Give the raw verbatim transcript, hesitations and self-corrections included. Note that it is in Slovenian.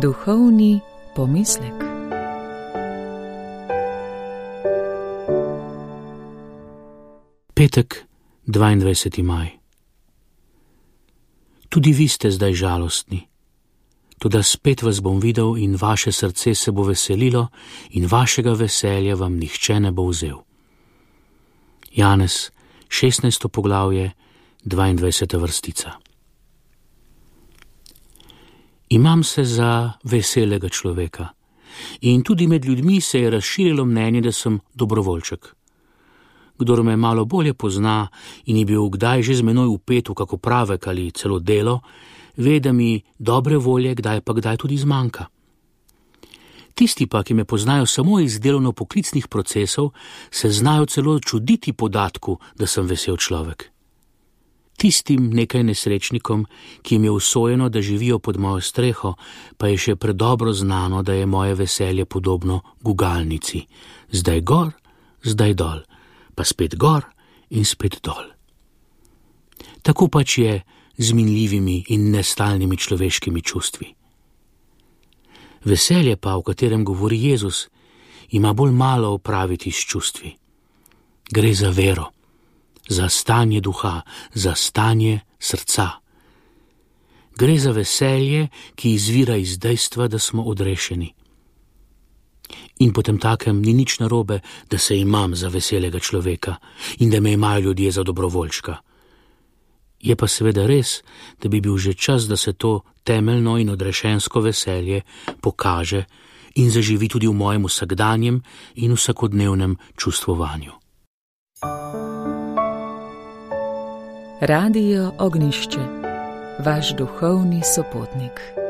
Duhovni pomislek. Petek, dvaindvajseti maj. Tudi vi ste zdaj žalostni, toda spet vas bom videl in vaše srce se bo veselilo in vašega veselja vam nihče ne bo vzel. Janez, šestnajsto poglavje, dvaindvajseta vrstica. Imam se za veselega človeka in tudi med ljudmi se je razširilo mnenje, da sem dobrovoljček. Kdor me malo bolje pozna in je bil kdaj že z menoj vpet v kako pravek ali celo delo, ve, da mi dobre volje kdaj pa kdaj tudi zmanjka. Tisti pa, ki me poznajo samo iz delovno-poklicnih procesov, se znajo celo čuditi podatku, da sem vesel človek. Tistim nekaj nesrečnikom, ki jim je usojeno, da živijo pod mojo streho, pa je še predobro znano, da je moje veselje podobno gugalnici. Zdaj gor, zdaj dol, pa spet gor in spet dol. Tako pač je z minljivimi in nestalnimi človeškimi čustvi. Veselje pa, o katerem govori Jezus, ima bolj malo opraviti s čustvi. Gre za vero, za stanje duha, za stanje srca. Gre za veselje, ki izvira iz dejstva, da smo odrešeni. In potem takem ni nič narobe, da se imam za veselega človeka in da me imajo ljudje za dobrovoljčka. Je pa seveda res, da bi bil že čas, da se to temeljno in odrešensko veselje pokaže in zaživi tudi v mojem vsakdanjem in vsakodnevnem čustvovanju. Radio Ognjišče, vaš duhovni sopotnik.